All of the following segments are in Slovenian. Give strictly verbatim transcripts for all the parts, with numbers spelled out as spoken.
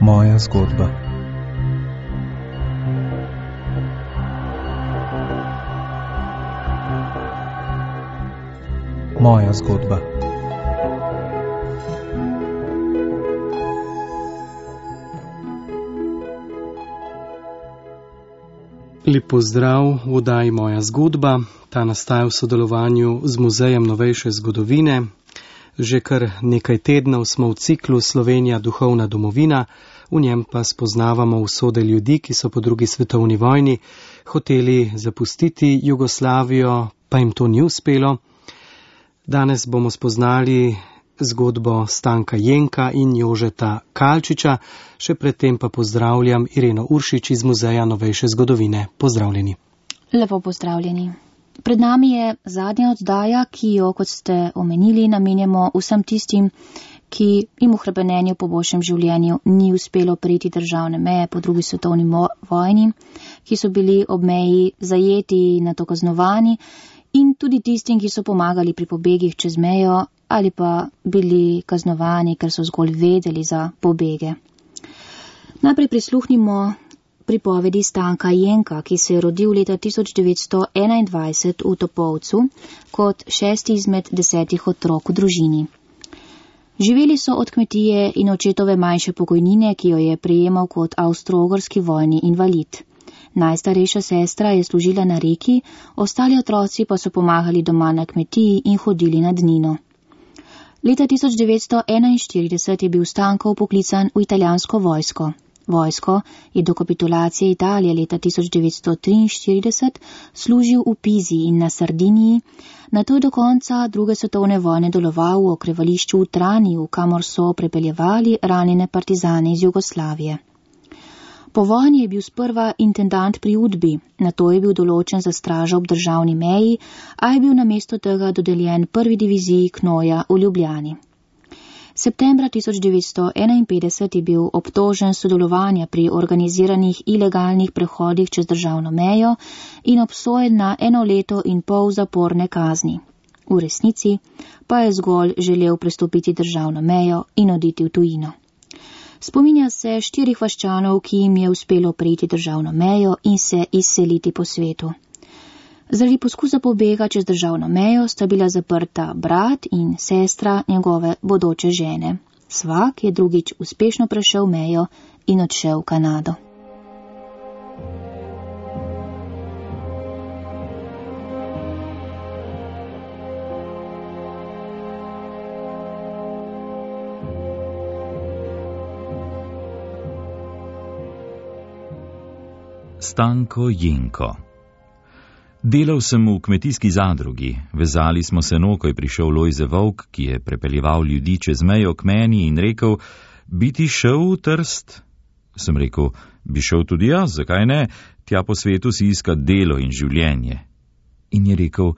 Moja zgodba. Moja zgodba. Lep pozdrav v oddaji Moja zgodba. Ta nastaja v sodelovanju z Muzejem novejše zgodovine. Že kar nekaj tednov smo v ciklu Slovenija duhovna domovina, v njem pa spoznavamo usode ljudi, ki so po drugi svetovni vojni hoteli zapustiti Jugoslavijo, pa jim to ni uspelo. Danes bomo spoznali zgodbo Stanka Jenka in Jožeta Kalčiča, še predtem pa pozdravljam Ireno Uršič iz Muzeja novejše zgodovine. Pozdravljeni. Lepo pozdravljeni. Pred nami je zadnja oddaja, ki jo, kot ste omenili, namenjamo vsem tistim, ki jim v hrepenenju po boljšem življenju ni uspelo prejti državne meje po drugi svetovni vojni, ki so bili ob meji zajeti in nato kaznovani, in tudi tistim, ki so pomagali pri pobegih čez mejo ali pa bili kaznovani, ker so zgolj vedeli za pobege. Najprej prisluhnimo pripovedi Stanka Jenka, ki se je rodil leta tisoč devetsto enaindvajset v Topolcu kot šesti izmed desetih otrok v družini. Živeli so od kmetije in očetove manjše pokojnine, ki jo je prejemal kot avstro-ogrski vojni invalid. Najstarejša sestra je služila na reki, ostali otroci pa so pomagali doma na kmetiji in hodili na dnino. Leta tisoč devetsto enainštirideset je bil Stanko poklican v italijansko vojsko. Vojsko je do kapitulacije Italije leta tisoč devetsto triinštirideset služil v Pizi in na Sardiniji, nato je do konca druge svetovne vojne deloval v okrevališču v Traniju, kamor so prepeljevali ranjene partizane iz Jugoslavije. Po vojni je bil sprva intendant pri Udbi, nato je bil določen za stražo ob državni meji, a je bil namesto tega dodeljen prvi diviziji Knoja v Ljubljani. Septembra tisoč devetsto enainpetdeset je bil obtožen sodelovanja pri organiziranih ilegalnih prehodih čez državno mejo in obsojen na eno leto in pol zaporne kazni. V resnici pa je zgolj želel prestopiti državno mejo in oditi v tujino. Spominja se štirih vaščanov, ki jim je uspelo prejti državno mejo in se izseliti po svetu. Zaradi poskusa pobega čez državno mejo sta bila zaprta brat in sestra njegove bodoče žene. Svak je drugič uspešno prešel mejo in odšel v Kanado. Stanko Jenko. Delal sem v kmetijski zadrugi, vezali smo se no, ko je prišel Lojze Volk, ki je prepeljeval ljudi čez mejo k meni in rekel, bi ti šel v Trst? Sem rekel, bi šel tudi jaz, zakaj ne, tja po svetu si iskat delo in življenje. In je rekel,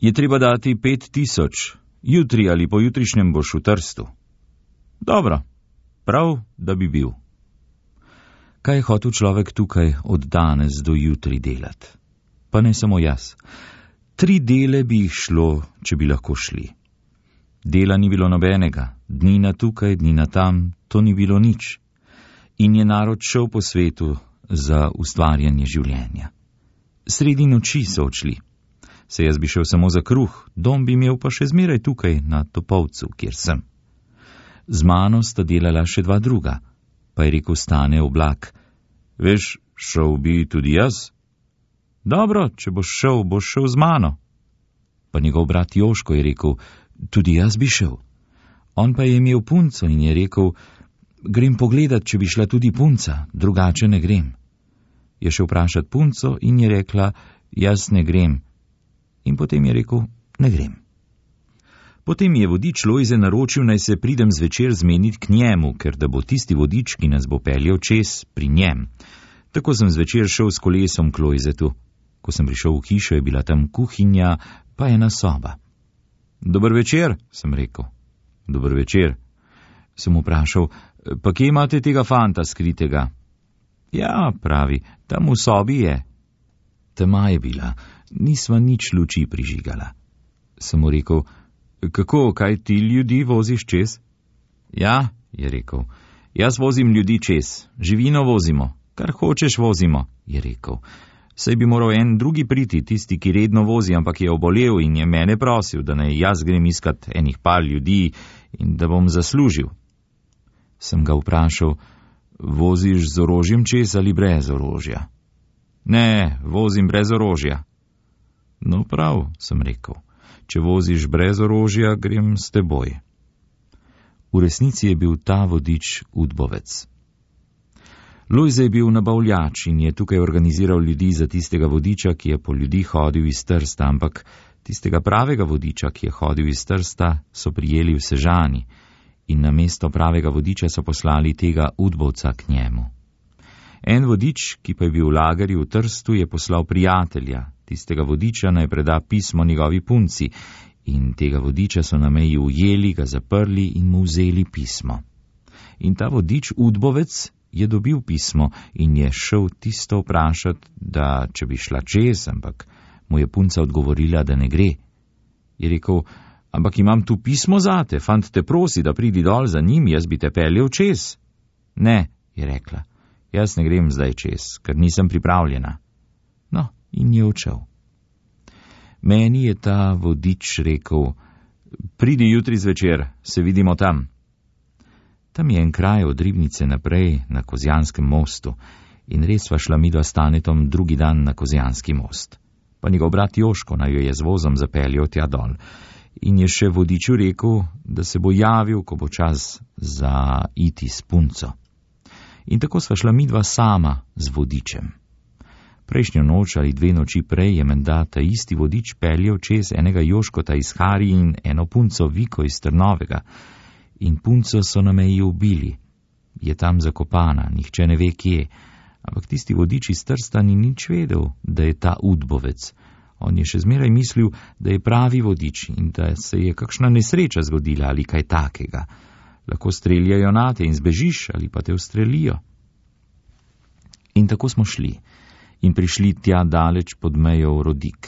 je treba dati pet tisoč, jutri ali pojutrišnjem boš v Trstu. Dobro, prav, da bi bil. Kaj je hotel človek tukaj od danes do jutri delati? Pa ne samo jaz. Tri dele bi jih šlo, če bi lahko šli. Dela ni bilo nobenega, dnina tukaj, dnina tam, to ni bilo nič. In je narod šel po svetu za ustvarjanje življenja. Sredi noči so odšli. Se jaz bi šel samo za kruh, dom bi imel pa še zmeraj tukaj na Topolcu, kjer sem. Z mano sta delala še dva druga, pa je rekel Stane Oblak, veš, šel bi tudi jaz? Dobro, če boš šel, boš šel z mano. Pa njegov brat Joško je rekel, tudi jaz bi šel. On pa je imel punco in je rekel, grem pogledat, če bi šla tudi punca, drugače ne grem. Je šel vprašat punco in je rekla, jaz ne grem. In potem je rekel, ne grem. Potem je vodič Lojze naročil, naj se pridem zvečer zmeniti k njemu, ker da bo tisti vodič, ki nas bo peljal čez, pri njem. Tako sem zvečer šel s kolesom k Lojzetu. Ko sem prišel v hišo, je bila tam kuhinja, pa ena soba. Dober večer, sem rekel. Dober večer. Sem vprašal, pa kje imate tega fanta skritega? Ja, pravi, tam v sobi je. Tema je bila, nisva nič luči prižigala. Sem mu rekel, kako, kaj ti ljudi voziš čez? Ja, je rekel, Jaz vozim ljudi čez, živino vozimo, kar hočeš vozimo, je rekel. Saj bi moral en drugi priti, tisti, ki redno vozi, ampak je obolel in je mene prosil, da naj jaz grem iskat enih par ljudi in da bom zaslužil. Sem ga vprašal, voziš z orožjem čez ali brez orožja? Ne, vozim brez orožja. No prav, sem rekel, če voziš brez orožja, grem s teboj. V resnici je bil ta vodič udbovec. Lojze je bil nabavljač in je tukaj organiziral ljudi za tistega vodiča, ki je po ljudi hodil iz Trsta, ampak tistega pravega vodiča, ki je hodil iz Trsta, so prijeli v Sežani in na mesto pravega vodiča so poslali tega udbovca k njemu. En vodič, ki pa je bil v lagerju v Trstu, je poslal prijatelja, tistega vodiča naj preda pismo njegovi punci, in tega vodiča so na meji ujeli, ga zaprli in mu vzeli pismo. In ta vodič, udbovec, je dobil pismo in je šel tisto vprašati, da če bi šla čez, ampak mu je punca odgovorila, da ne gre. Je rekel, ampak imam tu pismo zate, fant te prosi, da pridi dol za njim, jaz bi te peljal čez. Ne, je rekla, jaz ne grem zdaj čez, ker nisem pripravljena. No, in je odšel. Meni je ta vodič rekel, pridi jutri zvečer, se vidimo tam. Tam je en kraj od Ribnice naprej na Kozjanskem mostu in res sva šla midva s Tanetom drugi dan na Kozjanski most. Pa njegov brat Joško naj jo je z vozom zapeljal tja dol in je še vodiču rekel, da se bo javil, ko bo čas za iti s punco. In tako sva šla midva sama z vodičem. Prejšnjo noč ali dve noči prej je menda ta isti vodič peljal čez enega Joškota iz Hari in eno punco Viko iz Trnovega. In punco so na meji ubili. Je tam zakopana, nihče ne ve kje, ampak tisti vodič iz Trsta ni nič vedel, da je ta udbovec. On je še zmeraj mislil, da je pravi vodič in da se je kakšna nesreča zgodila ali kaj takega. Lahko streljajo nate in zbežiš ali pa te ustrelijo. In tako smo šli in prišli tja daleč pod mejo v Rodik.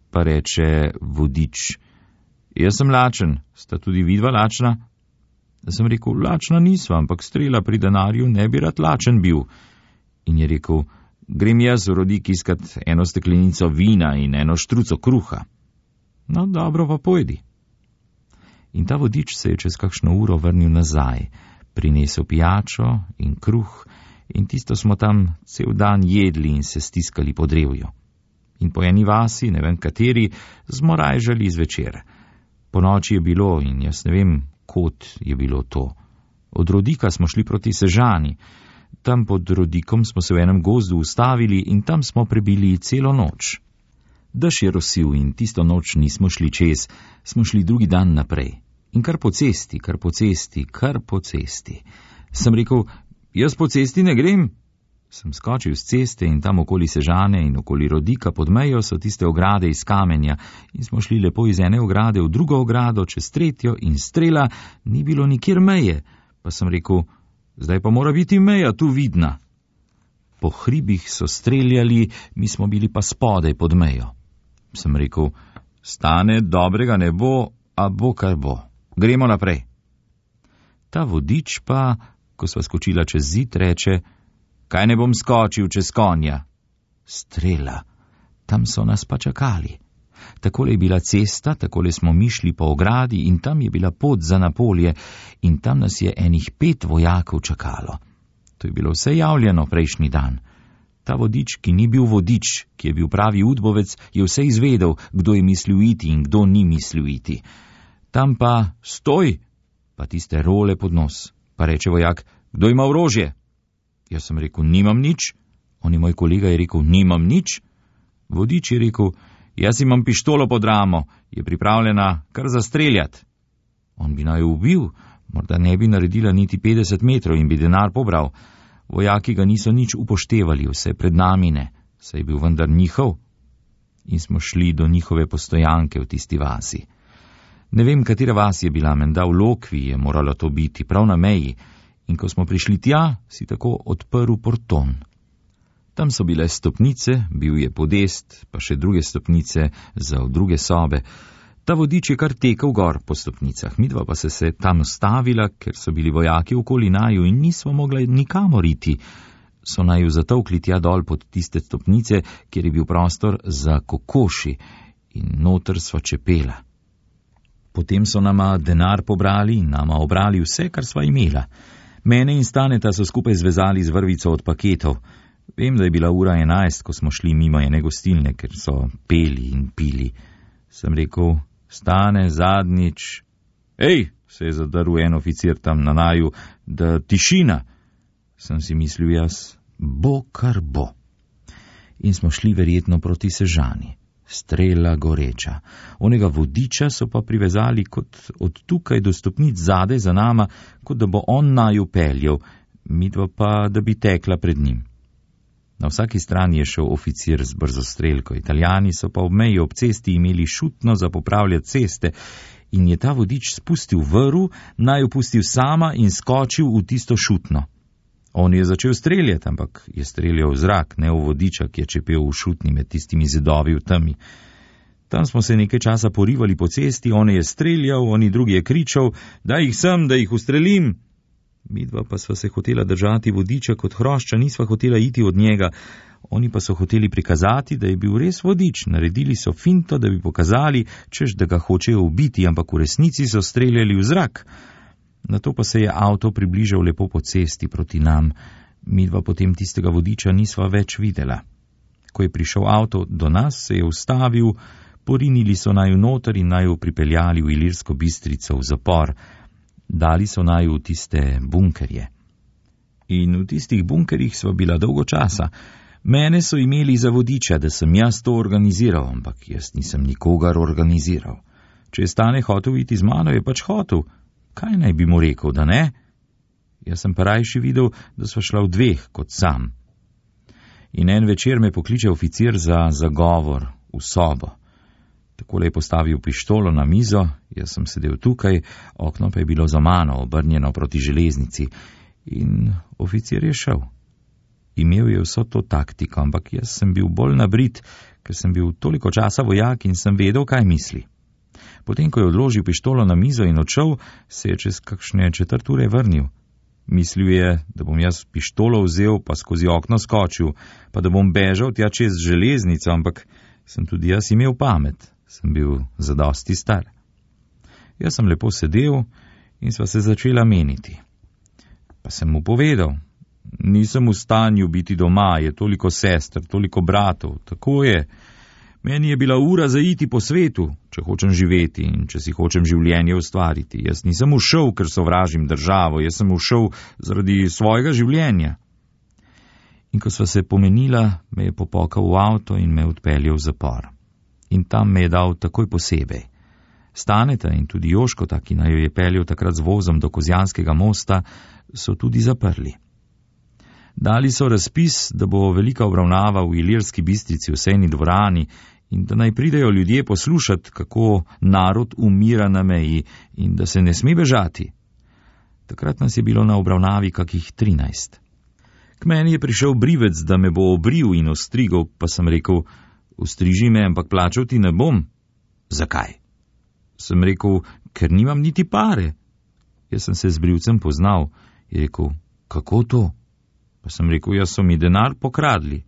Pa reče vodič, jaz sem lačen, sta tudi vidva lačna? Da sem rekel, lačna nisva, ampak strela pri denarju ne bi rad lačen bil. In je rekel, grem jaz v Rodik iskat eno steklenico vina in eno štruco kruha. No, dobro pa pojdi. In ta vodič se je čez kakšno uro vrnil nazaj, prinesel pijačo in kruh in tisto smo tam cel dan jedli in se stiskali po drevju. In po eni vasi, ne vem kateri, smo rajžali zvečer. Po noči je bilo in jaz ne vem, kot je bilo to. Od Rodika smo šli proti Sežani. Tam pod Rodikom smo se v enem gozdu ustavili in tam smo prebili celo noč. Dež je rosil in tisto noč nismo šli čez, smo šli drugi dan naprej. In kar po cesti, kar po cesti, kar po cesti. Sem rekel, jaz po cesti ne grem. Sem skočil z ceste in tam okoli Sežane in okoli Rodika pod mejo so tiste ograde iz kamenja in smo šli lepo iz ene ograde v drugo ogrado, čez tretjo in strela, ni bilo nikjer meje. Pa sem rekel, zdaj pa mora biti meja tu vidna. Po hribih so streljali, mi smo bili pa spodaj pod mejo. Sem rekel, stane dobrega ne bo, a bo kar bo. Gremo naprej. Ta vodič pa, ko sva skočila čez zid, reče, kaj ne bom skočil čez konja? Strela. Tam so nas pa čakali. Takole je bila cesta, takole smo mi šli po ogradi in tam je bila pot za Napolje in tam nas je enih pet vojakov čakalo. To je bilo vse javljeno prejšnji dan. Ta vodič, ki ni bil vodič, ki je bil pravi udbovec, je vse izvedel, kdo je mislil iti in kdo ni mislil iti. Tam pa stoj, pa tiste role pod nos. Pa reče vojak, kdo ima orožje? Jaz sem rekel, nimam nič. On je moj kolega je rekel, nimam nič. Vodič je rekel, jaz imam pištolo pod ramo, je pripravljena kar zastreljati. On bi naj ubil, morda ne bi naredila niti petdeset metrov in bi denar pobral. Vojaki ga niso nič upoštevali, vse pred nami ne, saj je bil vendar njihov. In smo šli do njihove postojanke v tisti vasi. Ne vem, katera vas je bila, menda v Lokvi je moralo to biti, prav na meji. In ko smo prišli tja, si tako odprl porton. Tam so bile stopnice, bil je podest, pa še druge stopnice za v druge sobe. Ta vodič je kar tekel gor po stopnicah, midva pa se se tam ustavila, ker so bili vojaki okoli naju in nismo mogli nikamor iti. So naju zatovkli tja dol pod tiste stopnice, kjer je bil prostor za kokoši in noter sva čepela. Potem so nama denar pobrali in nama obrali vse, kar sva imela. Mene in Staneta so skupaj zvezali z vrvico od paketov. Vem, da je bila ura enajst, ko smo šli mimo ene gostilne, ker so peli in pili. Sem rekel: Stane, zadnjič. Ej, se je zadrl en oficir tam na naju, da tišina. Sem si mislil jaz, bo kar bo. In smo šli verjetno proti Sežani. Strela goreča. Onega vodiča so pa privezali kot od tukaj do stopnic zadaj za nama, kot da bo on naju peljal, midva pa, da bi tekla pred njim. Na vsaki strani je šel oficir z brzostrelko, Italijani so pa ob meji ob cesti imeli šutno za popravljati ceste in je ta vodič spustil vrv, naju pustil sama in skočil v tisto šutno. On je začel streljati, ampak je streljal v zrak, ne v vodiča, ki je čepel v šutni med tistimi zidovi v temi. Tam smo se nekaj časa porivali po cesti, on je streljal, oni drugi je kričal: daj jih sem, da jih ustrelim. Midva pa sva se hotela držati vodiča kot hrošča, nisva hotela iti od njega. Oni pa so hoteli prikazati, da je bil res vodič. Naredili so finto, da bi pokazali, češ da ga hočejo ubiti, ampak v resnici so streljali v zrak. Nato pa se je avto približal lepo po cesti proti nam. Midva potem tistega vodiča nisva več videla. Ko je prišel avto do nas, se je ustavil, porinili so naju noter in naju pripeljali v Ilirsko Bistrico v zapor. Dali so naju v tiste bunkerje. In v tistih bunkerjih sva bila dolgo časa. Mene so imeli za vodiča, da sem jaz to organiziral, ampak jaz nisem nikogar organiziral. Če je Stane hotel iti z mano, je pač hotel. Kaj naj bi mu rekel, da ne? Jaz sem pa rajši videl, da sva šla v dveh kot sam. In en večer me pokliče oficir za zagovor v sobo. Takole je postavil pištolo na mizo, jaz sem sedel tukaj, okno pa je bilo za mano, obrnjeno proti železnici. In oficir je šel. Imel je vso to taktiko, ampak jaz sem bil bolj nabrit, ker sem bil toliko časa vojak in sem vedel, kaj misli. Potem, ko je odložil pištolo na mizo in odšel, se je čez kakšne četrt ure vrnil. Mislil je, da bom jaz pištolo vzel pa skozi okno skočil, pa da bom bežal tja čez železnico, ampak sem tudi jaz imel pamet. Sem bil zadosti star. Jaz sem lepo sedel in sva se začela meniti. Pa sem mu povedal: nisem v stanju biti doma, je toliko sester, toliko bratov, tako je. Meni je bila ura za iti po svetu, če hočem živeti in če si hočem življenje ustvariti. Jaz nisem ušel, ker sovražim državo, jaz sem ušel zaradi svojega življenja. In ko sva se pomenila, me je popokal v avto in me odpeljal v zapor. In tam me je dal takoj posebej. Staneta in tudi Joškota, ki naj jo je peljal takrat z vozom do Kozjanskega mosta, so tudi zaprli. Dali so razpis, da bo velika obravnava v Ilirski Bistrici v sejni dvorani in da naj pridejo ljudje poslušati, kako narod umira na meji in da se ne sme bežati. Takrat nas je bilo na obravnavi kakih trinajst. K meni je prišel brivec, da me bo obril in ostrigal, pa sem rekel: ustriži me, ampak plačal ti ne bom. Zakaj? Sem rekel: ker nimam niti pare. Jaz sem se z brivcem poznal. Je rekel: kako to? Pa sem rekel: jaz so mi denar pokradli.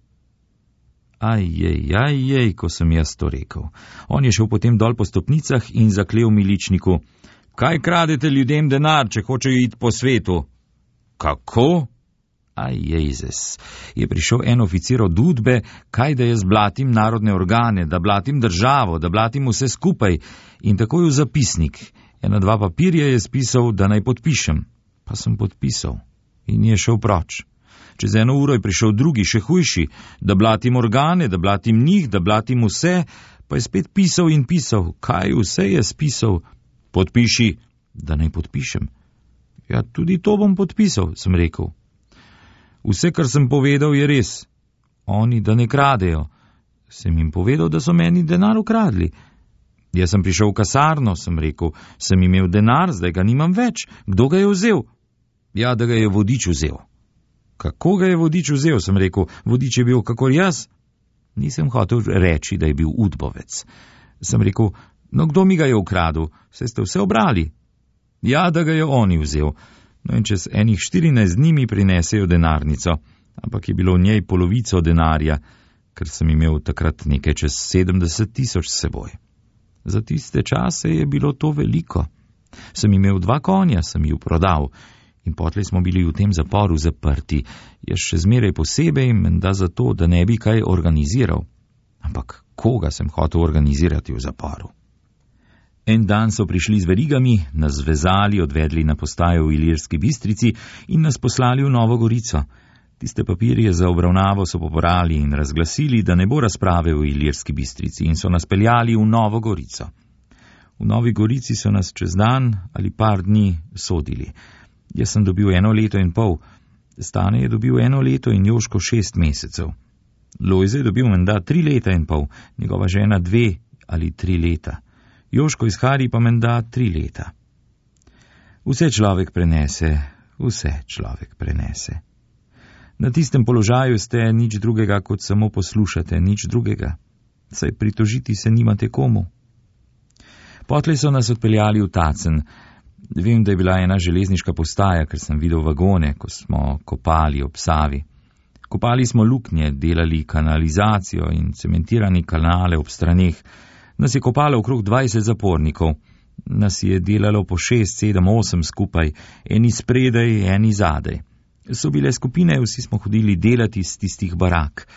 Ajjej, ajjej, ko sem jaz to rekel. On je šel potem dol po stopnicah in zaklel miličniku: kaj kradete ljudem denar, če hočejo iti po svetu? Kako? Aj, Jezes, je prišel en oficir od Udbe, kaj da jaz blatim narodne organe, da blatim državo, da blatim vse skupaj, in takoj v zapisnik. Ena dva papirja je spisal, da naj podpišem. Pa sem podpisal in je šel proč. Čez eno uro je prišel drugi, še hujši, da blatim organe, da blatim njih, da blatim vse, pa je spet pisal in pisal. Kaj vse je spisal? Podpiši, da naj podpišem. Ja, tudi to bom podpisal, sem rekel. Vse, kar sem povedal, je res. Oni, da ne kradejo. Sem jim povedal, da so meni denar ukradli. Jaz sem prišel v kasarno, sem rekel, sem imel denar, zdaj ga nimam več. Kdo ga je vzel? Ja, da ga je vodič vzel. Kako ga je vodič vzel, sem rekel, vodič je bil kakor jaz. Nisem hotel reči, da je bil udbovec. Sem rekel, No, kdo mi ga je ukradel? Saj ste vse obrali. Ja, da ga je oni vzel. No in čez enih štirinajst dni mi prinesejo denarnico, ampak je bilo v njej polovico denarja, ker sem imel takrat nekaj čez sedemdeset tisoč s seboj. Za tiste čase je bilo to veliko. Sem imel dva konja, sem ju prodal in potlej smo bili v tem zaporu zaprti, jaz še zmeraj posebej, menda zato, da ne bi kaj organiziral. Ampak koga sem hotel organizirati v zaporu? En dan so prišli z verigami, nas zvezali, odvedli na postajo v Ilirski Bistrici in nas poslali v Novo Gorico. Tiste papirje za obravnavo so poporali in razglasili, da ne bo razprave v Ilirski Bistrici, in so nas peljali v Novo Gorico. V Novi Gorici so nas čez dan ali par dni sodili. Jaz sem dobil eno leto in pol, Stane je dobil eno leto in Joško šest mesecev. Lojze je dobil menda tri leta in pol, njegova žena dve ali tri leta. Joško iz Hari pa menda tri leta. Vse človek prenese, vse človek prenese. Na tistem položaju ste nič drugega, kot samo poslušate, nič drugega. Saj pritožiti se nimate komu. Potlej so nas odpeljali v Tacen. Vem, da je bila ena železniška postaja, ker sem videl vagone, ko smo kopali ob Savi. Kopali smo luknje, delali kanalizacijo in cementirani kanale ob straneh. Nas je kopalo okrog dvajset zapornikov. Nas je delalo po šest, sedem, osem skupaj, eni spredaj, eni zadaj. So bile skupine, vsi smo hodili delati iz tistih barak.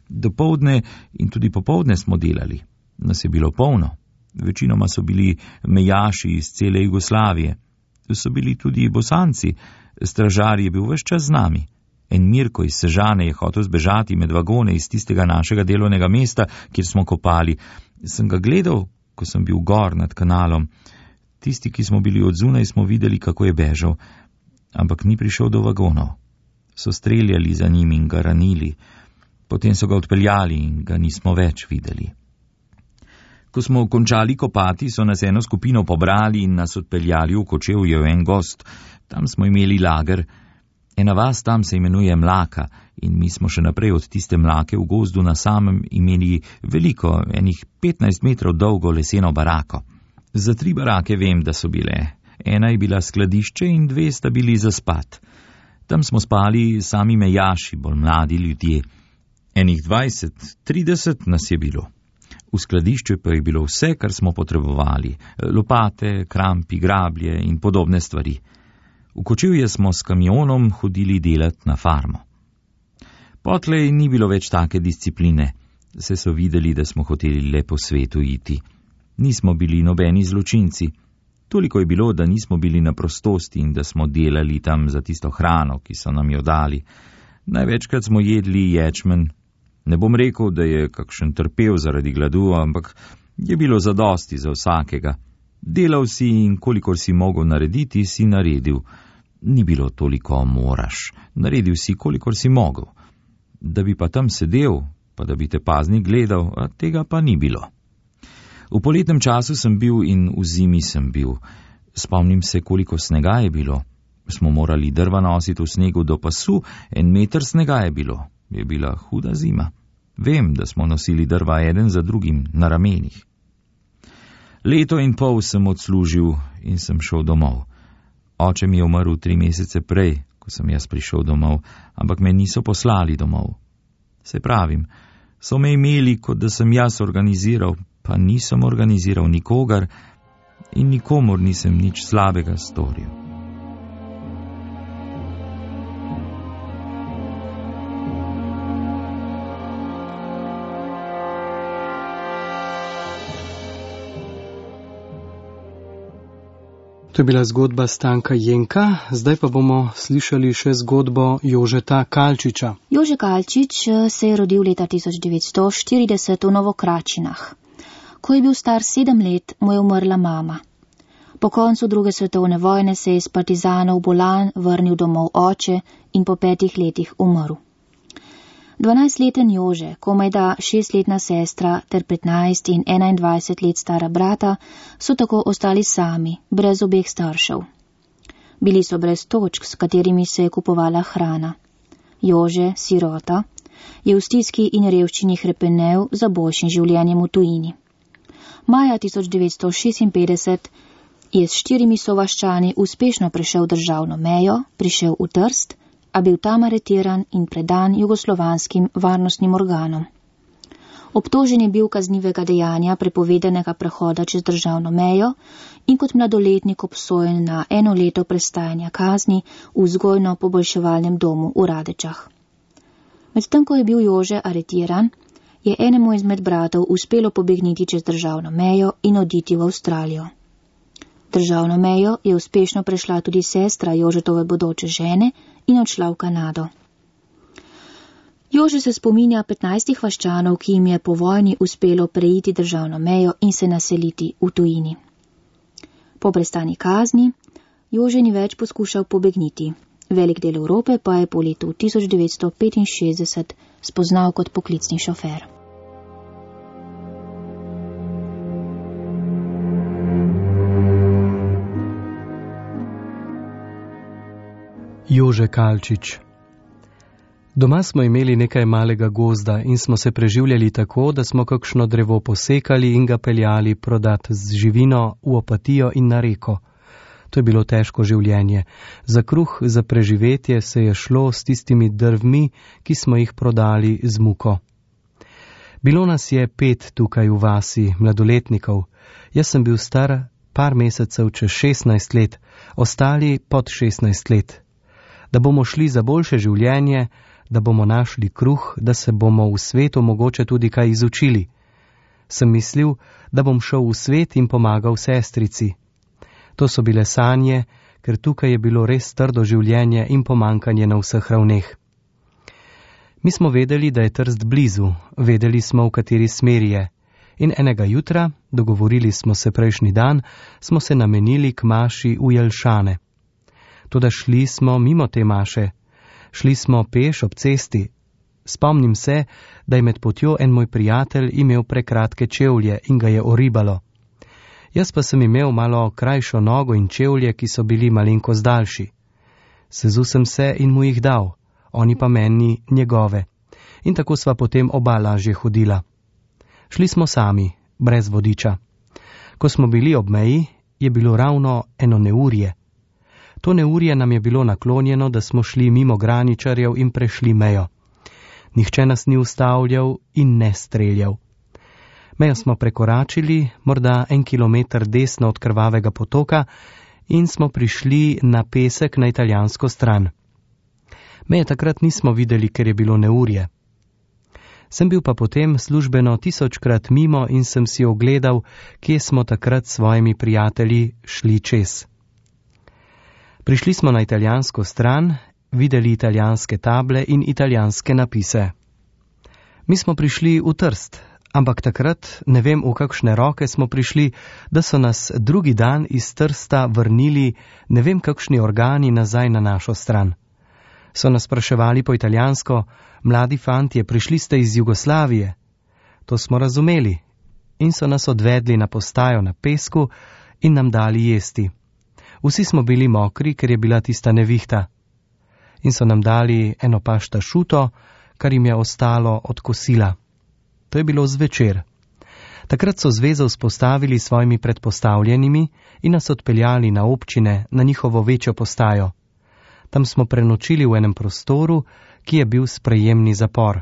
Dopoldne in tudi popoldne smo delali. Nas je bilo polno. Večinoma so bili mejaši iz cele Jugoslavije. So bili tudi Bosanci. Stražar je bil ves čas z nami. En Mirko iz Sežane je hotel zbežati med vagone iz tistega našega delovnega mesta, kjer smo kopali. Sem ga gledal, ko sem bil gor nad kanalom. Tisti, ki smo bili odzunaj, smo videli, kako je bežal. Ampak ni prišel do vagonov. So streljali za njim in ga ranili. Potem so ga odpeljali in ga nismo več videli. Ko smo končali kopati, so nas eno skupino pobrali in nas odpeljali v Kočevje v en gozd. Tam smo imeli lager. Ena vas tam se imenuje Mlaka in mi smo še naprej od tiste Mlake v gozdu na samem imeli veliko, enih petnajst metrov dolgo leseno barako. Za tri barake vem, da so bile. Ena je bila skladišče in dve sta bili za spat. Tam smo spali sami mejaši, bolj mladi ljudje. Enih dvajset, trideset nas je bilo. V skladišču pa je bilo vse, kar smo potrebovali. Lopate, krampi, grablje in podobne stvari. V Kočevje smo s kamionom hodili delat na farmo. Potlej ni bilo več take discipline. Se so videli, da smo hoteli le po svetu iti. Nismo bili nobeni zločinci. Toliko je bilo, da nismo bili na prostosti in da smo delali tam za tisto hrano, ki so nam jo dali. Največkrat smo jedli ječmen. Ne bom rekel, da je kakšen trpel zaradi gladu, ampak je bilo zadosti za vsakega. Delal si in kolikor si mogel narediti, si naredil. Ni bilo toliko moraš. Naredil si, kolikor si mogel. Da bi pa tam sedel, pa da bi te paznik gledal, a tega pa ni bilo. V poletnem času sem bil in v zimi sem bil. Spomnim se, koliko snega je bilo. Smo morali drva nositi v snegu do pasu, en meter snega je bilo. Je bila huda zima. Vem, da smo nosili drva eden za drugim na ramenih. Leto in pol sem odslužil in sem šel domov. Oče mi je umrl tri mesece prej, ko sem jaz prišel domov, ampak me niso poslali domov. Se pravim, so me imeli, kot da sem jaz organiziral, pa nisem organiziral nikogar in nikomor nisem nič slabega storil. To je bila zgodba Stanka Jenka, zdaj pa bomo slišali še zgodbo Jožeta Kalčiča. Jože Kalčič se je rodil leta tisoč devetsto štirideset v Novokračinah. Ko je bil star sedem let, mu je umrla mama. Po koncu druge svetovne vojne se je iz partizanov bolan vrnil domov oče in po petih letih umrl. Dvanajstleten Jože, komajda šestletna sestra ter petnajst in enaindvajset let stara brata so tako ostali sami, brez obeh staršev. Bili so brez točk, s katerimi se je kupovala hrana. Jože, sirota, je v stiski in revščini hrepenel za boljšim življenjem v tujini. Maja tisoč devetsto šestinpetdeset je s štirimi sovaščani uspešno prešel državno mejo, prišel v Trst, a bil tam aretiran in predan jugoslovanskim varnostnim organom. Obtožen je bil kaznivega dejanja prepovedanega prehoda čez državno mejo in kot mladoletnik obsojen na eno leto prestajanja kazni v vzgojno-poboljševalnem domu v Radečah. Medtem, ko je bil Jože aretiran, je enemu izmed bratov uspelo pobegniti čez državno mejo in oditi v Avstralijo. Državno mejo je uspešno prešla tudi sestra Jožetove bodoče žene in odšla v Kanado. Jože se spominja petnajstih vaščanov, ki jim je po vojni uspelo preiti državno mejo in se naseliti v tujini. Po prestani kazni Jože ni več poskušal pobegniti. Velik del Evrope pa je po letu tisoč devetsto petinšestdeset spoznal kot poklicni šofer. Jože Kalčič. Doma smo imeli nekaj malega gozda in smo se preživljali tako, da smo kakšno drevo posekali in ga peljali prodat z živino v Opatijo in na reko. To je bilo težko življenje. Za kruh, za preživetje se je šlo s tistimi drvmi, ki smo jih prodali z muko. Bilo nas je pet tukaj v vasi, mladoletnikov. Jaz sem bil star par mesecev čez šestnajst let, ostali pod šestnajst let. Da bomo šli za boljše življenje, da bomo našli kruh, da se bomo v svetu mogoče tudi kaj izučili. Sem mislil, da bom šel v svet in pomagal sestrici. To so bile sanje, ker tukaj je bilo res trdo življenje in pomankanje na vseh ravneh. Mi smo vedeli, da je Trst blizu, vedeli smo, v kateri smeri je. In enega jutra, dogovorili smo se prejšnji dan, smo se namenili k maši v Jelšane. Toda šli smo mimo te maše. Šli smo peš ob cesti. Spomnim se, da je med potjo en moj prijatelj imel prekratke čevlje in ga je oribalo. Jaz pa sem imel malo krajšo nogo in čevlje, ki so bili malenkost daljši. Sezul sem se in mu jih dal, oni pa meni njegove. In tako sva potem oba lažje hodila. Šli smo sami, brez vodiča. Ko smo bili ob meji, je bilo ravno eno neurje. To neurje nam je bilo naklonjeno, da smo šli mimo graničarjev in prešli mejo. Nihče nas ni ustavljal in ne streljal. Mejo smo prekoračili, morda en kilometer desno od krvavega potoka in smo prišli na pesek na italijansko stran. Meje takrat nismo videli, ker je bilo neurje. Sem bil pa potem službeno tisočkrat mimo in sem si ogledal, kje smo takrat s svojimi prijatelji šli čez. Prišli smo na italijansko stran, videli italijanske table in italijanske napise. Mi smo prišli v Trst, ampak takrat ne vem, v kakšne roke smo prišli, da so nas drugi dan iz Trsta vrnili ne vem kakšni organi nazaj na našo stran. So nas spraševali po italijansko, mladi fantje, prišli ste iz Jugoslavije. To smo razumeli in so nas odvedli na postajo na pesku in nam dali jesti. Vsi smo bili mokri, ker je bila tista nevihta. In so nam dali eno pašta šuto, kar jim je ostalo od kosila. To je bilo zvečer. Takrat so zvezo vzpostavili s svojimi predpostavljenimi in nas odpeljali na občine, na njihovo večjo postajo. Tam smo prenočili v enem prostoru, ki je bil sprejemni zapor.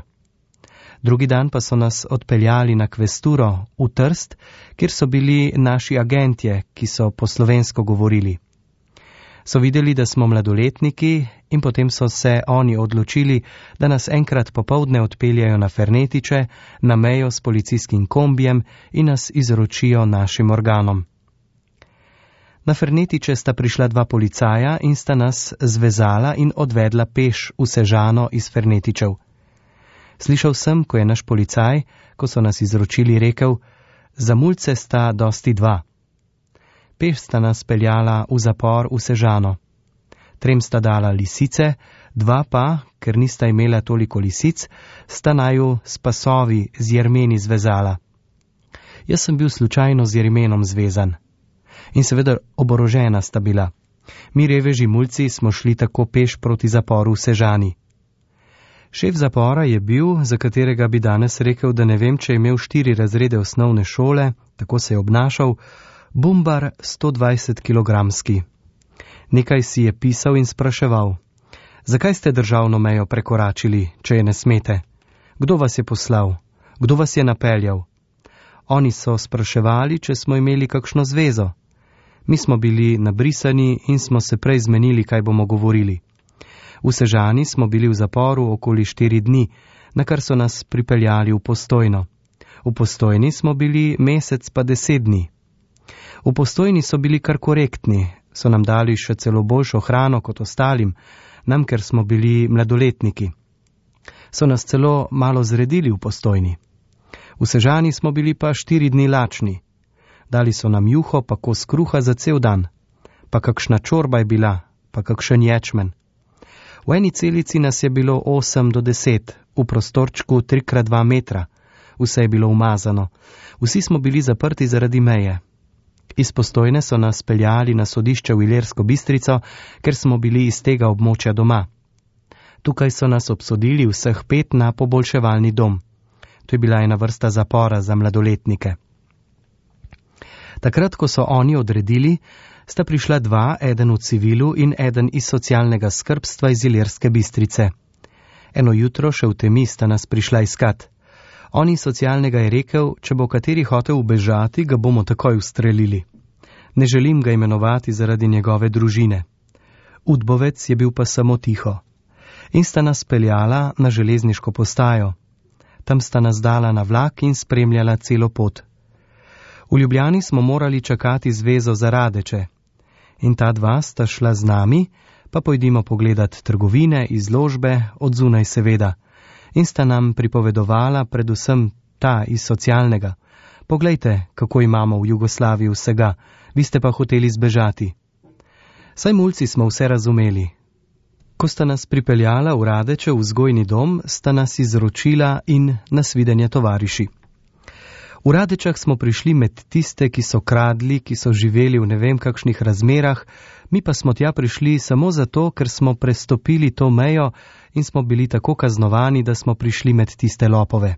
Drugi dan pa so nas odpeljali na kvesturo v Trst, kjer so bili naši agentje, ki so po slovensko govorili. So videli, da smo mladoletniki in potem so se oni odločili, da nas enkrat popoldne odpeljajo na Fernetiče, na mejo s policijskim kombijem in nas izročijo našim organom. Na Fernetiče sta prišla dva policaja in sta nas zvezala in odvedla peš v Sežano iz Fernetičev. Slišal sem, ko je naš policaj, ko so nas izročili, rekel, za mulce sta dosti dva. Peš sta nas peljala v zapor v Sežano. Trem sta dala lisice, dva pa, ker nista imela toliko lisic, sta naju s pasovi z jermeni zvezala. Jaz sem bil slučajno z jermenom zvezan. In seveda oborožena sta bila. Mi reveži mulci smo šli tako peš proti zaporu v Sežani. Šef zapora je bil, za katerega bi danes rekel, da ne vem, če je imel štiri razrede osnovne šole, tako se je obnašal, bumbar sto dvajset kilogramski. Nekaj si je pisal in spraševal: zakaj ste državno mejo prekoračili, če je ne smete? Kdo vas je poslal? Kdo vas je napeljal? Oni so spraševali, če smo imeli kakšno zvezo. Mi smo bili nabrisani in smo se prej zmenili, kaj bomo govorili. V Sežani smo bili v zaporu okoli štiri dni, na kar so nas pripeljali v Postojno. V Postojni smo bili mesec pa deset dni. V Postojni so bili kar korektni, so nam dali še celo boljšo hrano kot ostalim, nam, ker smo bili mladoletniki. So nas celo malo zredili v Postojni. V Sežani smo bili pa štiri dni lačni. Dali so nam juho pa kos kruha za cel dan. Pa kakšna čorba je bila, pa kakšen ječmen. V eni celici nas je bilo osem do deset, v prostorčku tri krat dva metra. Vse je bilo umazano. Vsi smo bili zaprti zaradi meje. Iz Postojne so nas peljali na sodišče v Ilirsko Bistrico, ker smo bili iz tega območja doma. Tukaj so nas obsodili vseh pet na poboljševalni dom. To je bila ena vrsta zapora za mladoletnike. Takrat, ko so oni odredili, sta prišla dva, eden v civilu in eden iz socialnega skrbstva iz Ilirske Bistrice. Eno jutro še v temi sta nas prišla iskat. Oni socialnega je rekel, če bo kateri hotel ubežati, ga bomo takoj ustrelili. Ne želim ga imenovati zaradi njegove družine. Udbovec je bil pa samo tiho. In sta nas peljala na železniško postajo. Tam sta nas dala na vlak in spremljala celo pot. V Ljubljani smo morali čakati zvezo za Radeče. In ta dva sta šla z nami, pa pojdimo pogledat trgovine, izložbe, od zunaj seveda. In sta nam pripovedovala predvsem ta iz socialnega. Poglejte, kako imamo v Jugoslaviji vsega, vi ste pa hoteli zbežati. Saj mulci smo vse razumeli. Ko sta nas pripeljala v Radeče v vzgojni dom, sta nas izročila in nasvidenje tovariši. V Radečah smo prišli med tiste, ki so kradli, ki so živeli v ne vem kakšnih razmerah, mi pa smo tja prišli samo zato, ker smo prestopili to mejo in smo bili tako kaznovani, da smo prišli med tiste lopove.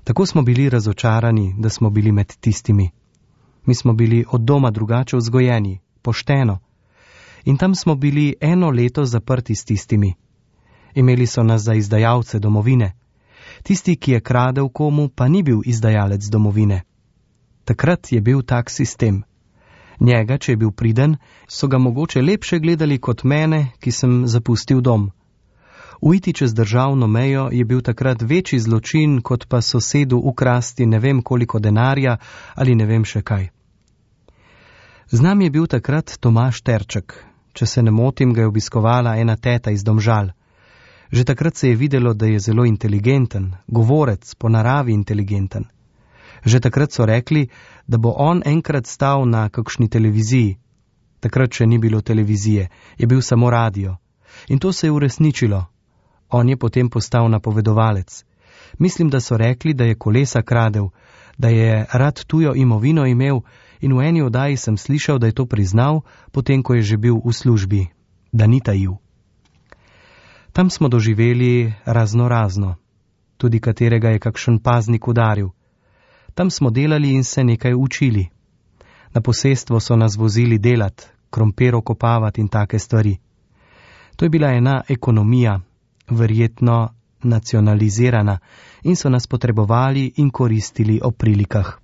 Tako smo bili razočarani, da smo bili med tistimi. Mi smo bili od doma drugače vzgojeni, pošteno. In tam smo bili eno leto zaprti s tistimi. Imeli so nas za izdajalce domovine. Tisti, ki je kradel komu, pa ni bil izdajalec domovine. Takrat je bil tak sistem. Njega, če je bil priden, so ga mogoče lepše gledali kot mene, ki sem zapustil dom. Uiti čez državno mejo je bil takrat večji zločin, kot pa sosedu ukrasti ne vem koliko denarja ali ne vem še kaj. Z nami je bil takrat Tomaž Terček. Če se ne motim, ga je obiskovala ena teta iz Domžal. Že takrat se je videlo, da je zelo inteligenten, govorec, po naravi inteligenten. Že takrat so rekli, da bo on enkrat stal na kakšni televiziji. Takrat še ni bilo televizije, je bil samo radio. In to se je uresničilo. On je potem postal napovedovalec. Mislim, da so rekli, da je kolesa kradel, da je rad tujo imovino imel in v eni oddaji sem slišal, da je to priznal, potem ko je že bil v službi, da ni tajil. Tam smo doživeli razno razno, tudi katerega je kakšen paznik udaril. Tam smo delali in se nekaj učili. Na posestvo so nas vozili delat, krompir okopavati in take stvari. To je bila ena ekonomija, verjetno nacionalizirana, in so nas potrebovali in koristili ob prilikah.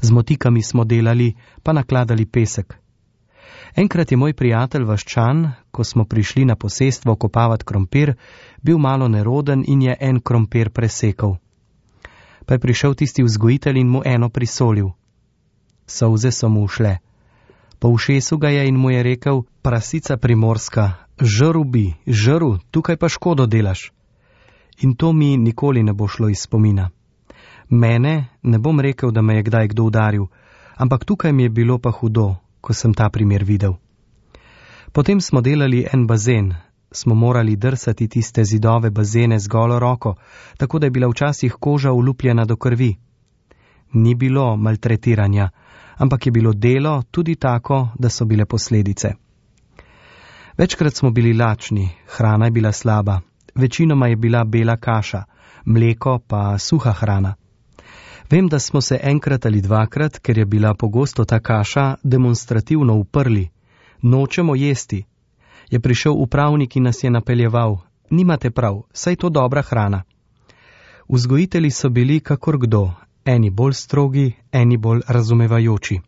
Z motikami smo delali, pa nakladali pesek. Enkrat je moj prijatelj Vaščan, ko smo prišli na posestvo kopavati krompir, bil malo neroden in je en krompir presekal. Pa je prišel tisti vzgojitelj in mu eno prisolil. Solze so mu ušle. Po ušesu ga je in mu je rekel: prasica primorska, žrl bi, žrl, tukaj pa škodo delaš. In to mi nikoli ne bo šlo iz spomina. Mene, ne bom rekel, da me je kdaj kdo udaril, ampak tukaj mi je bilo pa hudo, ko sem ta primer videl. Potem smo delali en bazen, smo morali drsati tiste zidove bazene z golo roko, tako da je bila včasih koža olupljena do krvi. Ni bilo maltretiranja, ampak je bilo delo tudi tako, da so bile posledice. Večkrat smo bili lačni, hrana je bila slaba, večinoma je bila bela kaša, mleko pa suha hrana. Vem, da smo se enkrat ali dvakrat, ker je bila pogosto ta kaša, demonstrativno uprli. Nočemo jesti. Je prišel upravnik in nas je napeljeval. Nimate prav, saj to dobra hrana. Vzgojitelji so bili kakor kdo, eni bolj strogi, eni bolj razumevajoči.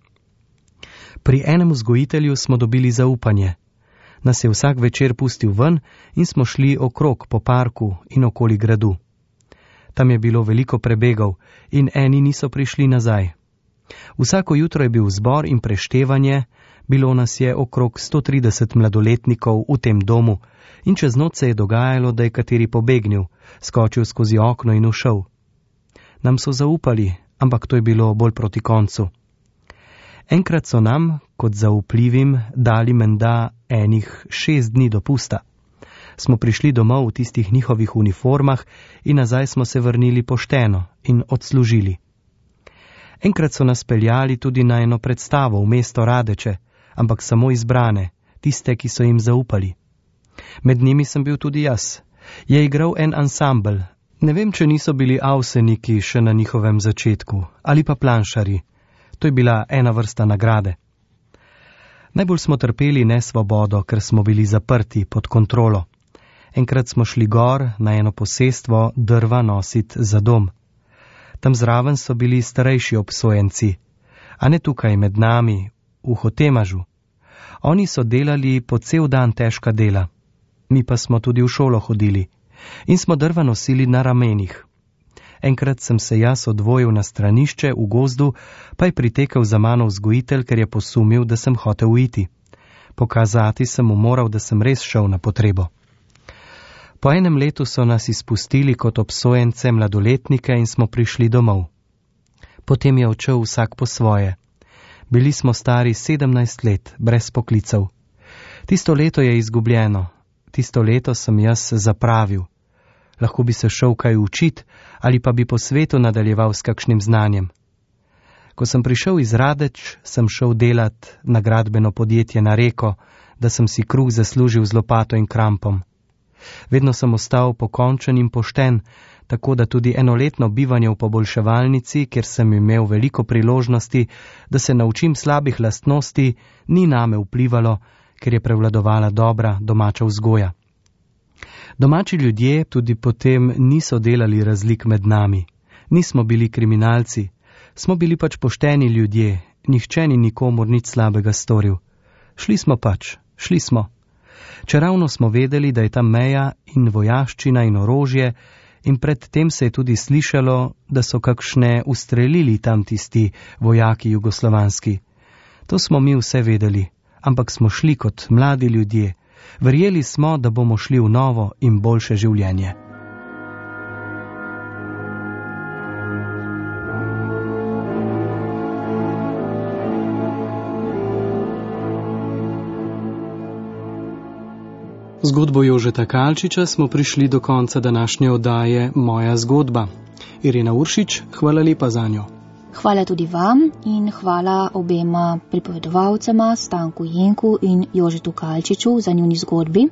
Pri enem vzgojitelju smo dobili zaupanje. Nas je vsak večer pustil ven in smo šli okrog po parku in okoli gradu. Tam je bilo veliko prebegov in eni niso prišli nazaj. Vsako jutro je bil zbor in preštevanje, bilo nas je okrog sto trideset mladoletnikov v tem domu in čez noč se je dogajalo, da je kateri pobegnil, skočil skozi okno in ušel. Nam so zaupali, ampak to je bilo bolj proti koncu. Enkrat so nam, kot zaupljivim, dali menda enih šest dni dopusta. Smo prišli domov v tistih njihovih uniformah in nazaj smo se vrnili pošteno in odslužili. Enkrat so nas peljali tudi na eno predstavo v mesto Radeče, ampak samo izbrane, tiste, ki so jim zaupali. Med njimi sem bil tudi jaz. Je igral en ansambel. Ne vem, če niso bili avseniki še na njihovem začetku, ali pa planšari. To je bila ena vrsta nagrade. Najbolj smo trpeli nesvobodo, ker smo bili zaprti pod kontrolo. Enkrat smo šli gor na eno posestvo drva nosit za dom. Tam zraven so bili starejši obsojenci, a ne tukaj med nami, v Hotemažu. Oni so delali po cel dan težka dela. Mi pa smo tudi v šolo hodili in smo drva nosili na ramenih. Enkrat sem se jaz odvojil na stranišče v gozdu, pa je pritekel za mano vzgojitelj, ker je posumil, da sem hotel uiti. Pokazati sem mu moral, da sem res šel na potrebo. Po enem letu so nas izpustili kot obsojence mladoletnike in smo prišli domov. Potem je odšel vsak po svoje. Bili smo stari sedemnajst let, brez poklicev. Tisto leto je izgubljeno. Tisto leto sem jaz zapravil. Lahko bi se šel kaj učit ali pa bi po svetu nadaljeval s kakšnim znanjem. Ko sem prišel iz Radeč, sem šel delat na gradbeno podjetje na Reko, da sem si kruh zaslužil z lopato in krampom. Vedno sem ostal pokončen in pošten, tako da tudi enoletno bivanje v poboljševalnici, kjer sem imel veliko priložnosti, da se naučim slabih lastnosti, ni name vplivalo, ker je prevladovala dobra domača vzgoja. Domači ljudje tudi potem niso delali razlik med nami. Nismo bili kriminalci, smo bili pač pošteni ljudje, nihče ni nikomur nič slabega storil. Šli smo pač, šli smo. Čeravno smo vedeli, da je tam meja in vojaščina in orožje, in predtem se je tudi slišalo, da so kakšne ustrelili tam tisti vojaki jugoslovanski. To smo mi vse vedeli, ampak smo šli kot mladi ljudje. Verjeli smo, da bomo šli v novo in boljše življenje. Zgodbo Jožeta Kalčiča smo prišli do konca današnje oddaje Moja zgodba. Irena Uršič, hvala lepa za njo. Hvala tudi vam in hvala obema pripovedovalcema, Stanku Jenku in Jožetu Kalčiču za njuni zgodbi.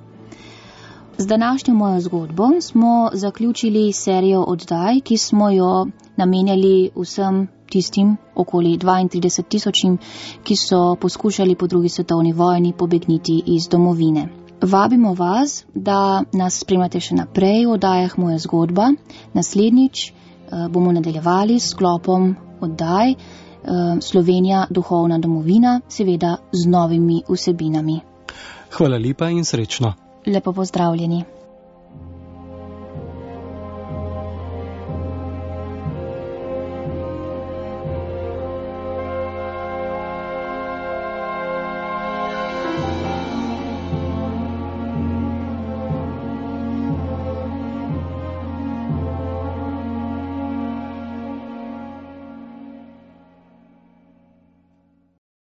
Z današnjo Mojo zgodbo smo zaključili serijo oddaj, ki smo jo namenjali vsem tistim okoli dvaintrideset tisočim, ki so poskušali po drugi svetovni vojni pobegniti iz domovine. Vabimo vas, da nas spremljate še naprej v oddajah Moja zgodba. Naslednjič bomo nadaljevali s sklopom oddaj Slovenija, duhovna domovina, seveda z novimi vsebinami. Hvala lepa in srečno. Lepo pozdravljeni.